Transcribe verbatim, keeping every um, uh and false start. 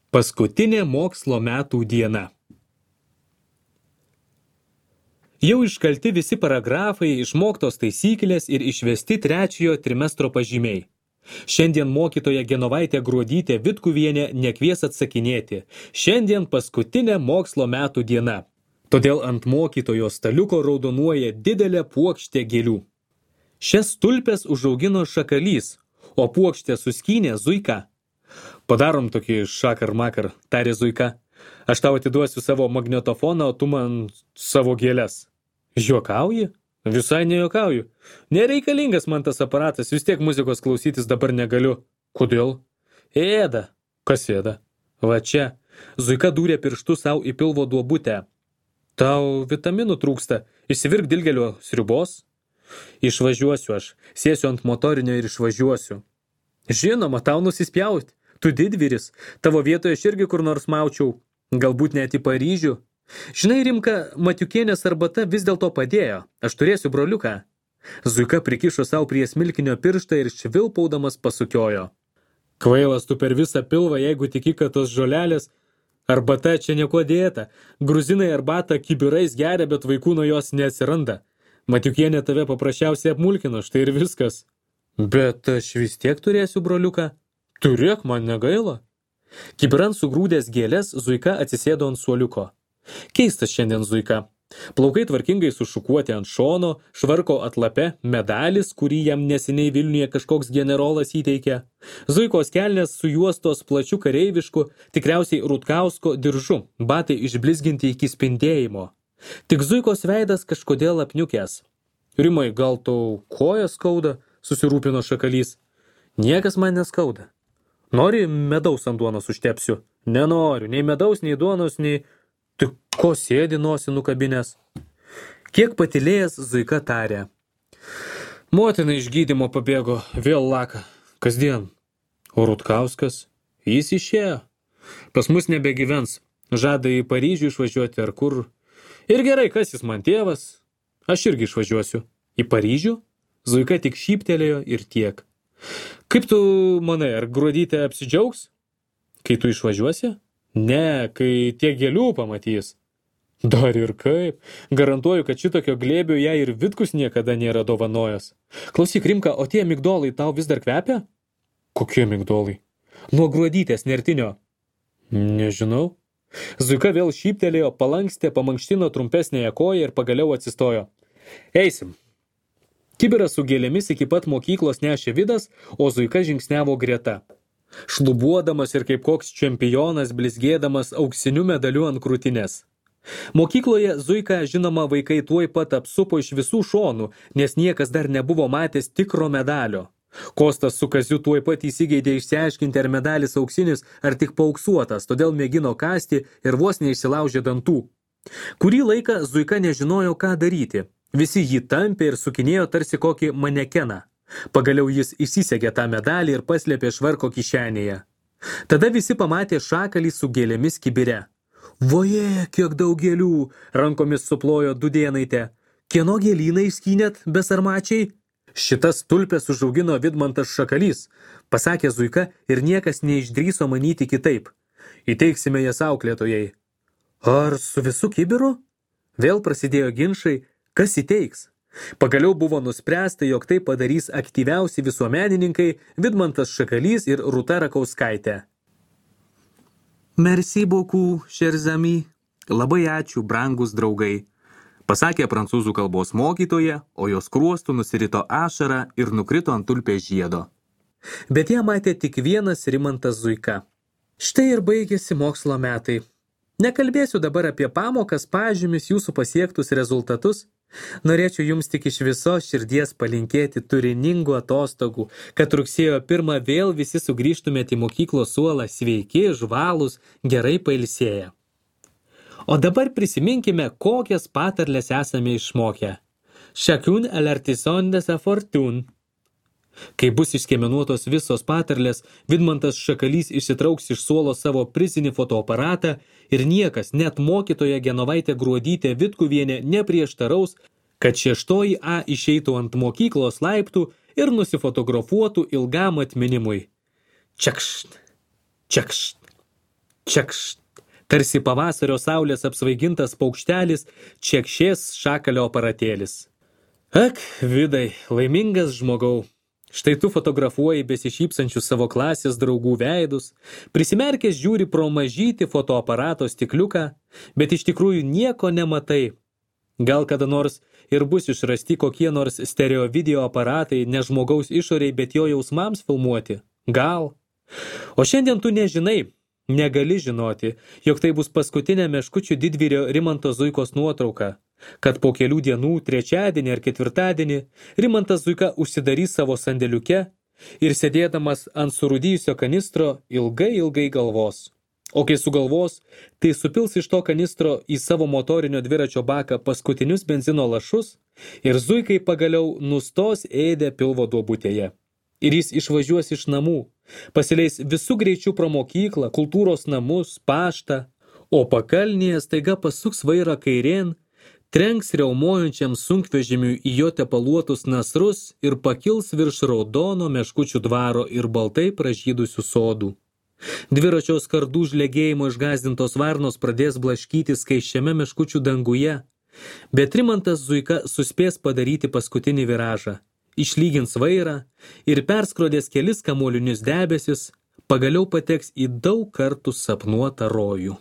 Paskutinė mokslo metų diena. Jau iškalti visi paragrafai, išmoktos taisyklės ir išvesti trečiojo trimestro pažymiai. Šiandien mokytoja Genovaitė Gruodytė Vitkuvienė nekvies atsakinėti. Šiandien paskutinė mokslo metų diena. Todėl ant mokytojo staliuko raudonuoja didelė puokštė gėlių. Šias tulpes užaugino šakalys, o puokštę suskynė Zuika. Padarom tokį šakar makar, tarė Zuika. Aš tau atiduosiu savo magnetofoną, o tu man savo gėles. Juokauji? Visai nejuokauju. Nereikalingas man tas aparatas, vis tiek muzikos klausytis dabar negaliu. Kodėl? Ėda. Kas ėda? Va čia. Zuika dūrė pirštu savo į pilvo duobutę. Tau vitaminų trūksta. Išsivirk dilgelio sriubos. Išvažiuosiu aš. Sėsiu ant motorinio ir išvažiuosiu. Žinoma, tau nusispjauti. Tu didvyris. Tavo vietoje aš irgi kur nors maučiau. Galbūt net į Paryžių. Žinai, Rimka, Matiukienės arbata vis dėlto padėjo. Aš turėsiu broliuką. Zuika prikišo savo prie smilkinio pirštą ir švilpaudamas pasukiojo. Kvailas tu per visą pilvą, jeigu tiki, kad tos žolelės. Arbata čia nieko dėta. Gruzinai arbatą kibirais geria, bet vaikų nuo jos neatsiranda. Matiukienė tave paprasčiausiai apmulkino, štai ir viskas. Bet aš vis tiek turėsiu broliuką. Turėk, man negaila. Kibiran sugrūdęs gėlės, Zuika atsisėdo ant suoliuko. Keistas šiandien Zuika. Plaukai tvarkingai sušukuoti ant šono, švarko atlape medalis, kurį jam neseniai Vilniuje kažkoks generolas įteikė. Zuikos kelnės sujuostos plačiu kareivišku, tikriausiai Rutkausko diržu, batai išblizginti iki spindėjimo. Tik Zuikos veidas kažkodėl apniukęs. Rimai, gal tau koja skauda, susirūpino šakalys. Niekas man neskauda. Nori medaus ant duonos užtepsiu? Nenoriu, nei medaus, nei duonos, nei... Tik ko sėdi nosį nukabinės? Kiek patylėjęs Zuika tarė. Motina iš gydymo pabėgo, vėl laka. Kasdien. O Rutkauskas? Jis išėjo. Pas mus nebegyvens. Žada į Paryžių išvažiuoti ar kur. Ir gerai, kas jis man tėvas? Aš irgi išvažiuosiu. Į Paryžių? Zuika tik šyptelėjo ir tiek. Kaip tu manai, ar Gruodytė apsidžiaugs? Kai tu išvažiuosi? Ne, kai tiek gėlių pamatys. Dar ir kaip. Garantuoju, kad šitokio glėbio ją ir Vitkus niekada nėra dovanojęs. Klausyk, Rimka, o tie migdolai tau vis dar kvepia? Kokie migdolai? Nuo Gruodytės nertinio. Nežinau. Zuika vėl šyptelėjo, palankstė, pamankštino trumpesnėje koją ir pagaliau atsistojo. Eisim. Kibiras su gėlėmis iki pat mokyklos nešė Vidas, o Zuika žingsniavo greta. Šlubuodamas ir kaip koks čempionas blizgėdamas auksiniu medaliu ant krūtinės. Mokykloje Zuika, žinoma, vaikai tuoj pat apsupo iš visų šonų, nes niekas dar nebuvo matęs tikro medalio. Kostas su Kaziu tuoj pat įsigeidė išsiaiškinti, ar medalis auksinis, ar tik paauksuotas, todėl mėgino kasti ir vos neišsilaužė dantų. Kurį laiką Zuika nežinojo, ką daryti. Visi jį tampė ir sukinėjo tarsi kokį manekeną. Pagaliau jis įsisegė tą medalį ir paslėpė švarko kišenėje. Tada visi pamatė šakalį su gėlėmis kibire. Voje, kiek daug gėlių, rankomis suplojo Dudėnaitė. Kieno gėlyną išskynėt, besarmačiai? Šitas tulpes užaugino Vidmantas Šakalys, pasakė Zuika ir niekas neišdrįso manyti kitaip. Įteiksime jas auklėtojai. Ar su visu kibiru? Vėl prasidėjo ginčai. Kas įteiks? Pagaliau buvo nuspręsta, jog tai padarys aktyviausi visuomenininkai Vidmantas Šakalys ir Rūta Rakauskaitė. Merci beaucoup, chers amis. Labai ačiū, brangus draugai, pasakė prancūzų kalbos mokytoja, o jos skruostų nusirito ašara ir nukrito ant tulpės žiedo. Bet ją matė tik vienas Rimantas Zuika. Štai ir baigėsi mokslo metai. Nekalbėsiu dabar apie pamokas, pažymis, jūsų pasiektus rezultatus. Norėčiau jums tik iš visos širdies palinkėti turiningų atostogų, kad rugsėjo pirmą vėl visi sugrįžtumėte į mokyklos suolą sveiki, žvalūs, gerai pailsėję. O dabar prisiminkime, kokias patarles esame išmokę. Chacun à l'artisan de sa fortune. Kai bus išskiemenuotos visos patarlės, Vidmantas Šakalys išsitrauks iš suolo savo prizinį fotoaparatą ir niekas, net mokytoja Genovaitė Gruodytė Vitkuvienė neprieštaraus, kad šeštoji A išeitų ant mokyklos laiptų ir nusifotografuotų ilgam atminimui. Čekšt, čekšt, Čekšt. Tarsi pavasario saulės apsvaigintas paukštelis, čekšės šakalio aparatėlis. Ak, Vidai, laimingas žmogau. Štai tu fotografuoji besišypsančius savo klasės draugų veidus, prisimerkęs žiūri pro mažytį fotoaparato stikliuką, bet iš tikrųjų nieko nematai. Gal kada nors ir bus išrasti kokie nors stereo video aparatai, ne žmogaus išoriai, bet jo jausmams filmuoti. Gal. O šiandien tu nežinai, negali žinoti, jog tai bus paskutinė Meškučių didvyrio Rimanto Zuikos nuotrauka, kad po kelių dienų, trečiadienį ar ketvirtadienį, Rimantas Zuika užsidarys savo sandėliuke ir sėdėdamas ant surūdijusio kanistro ilgai ilgai galvos. O kai sugalvos, tai supils iš to kanistro į savo motorinio dviračio baką paskutinius benzino lašus ir Zuikai pagaliau nustos ėdę pilvo duobutėje. Ir jis išvažiuos iš namų, pasileis visų greičių pro mokyklą, kultūros namus, paštą, o pakalnėje staiga pasuks vairą kairėn, trenks riaumojančiam sunkvežimiui į jo tepaluotus nasrus ir pakils virš raudono Meškučių dvaro ir baltai pražydusių sodų. Dviračio skardų žlegėjimo išgąsdintos varnos pradės blaškyti skaisčiame Meškučių danguje, bet Rimantas Zuika suspės padaryti paskutinį viražą, išlygins vairą ir perskrodęs kelis kamuolinius debesis, pagaliau pateks į daug kartų sapnuotą rojų.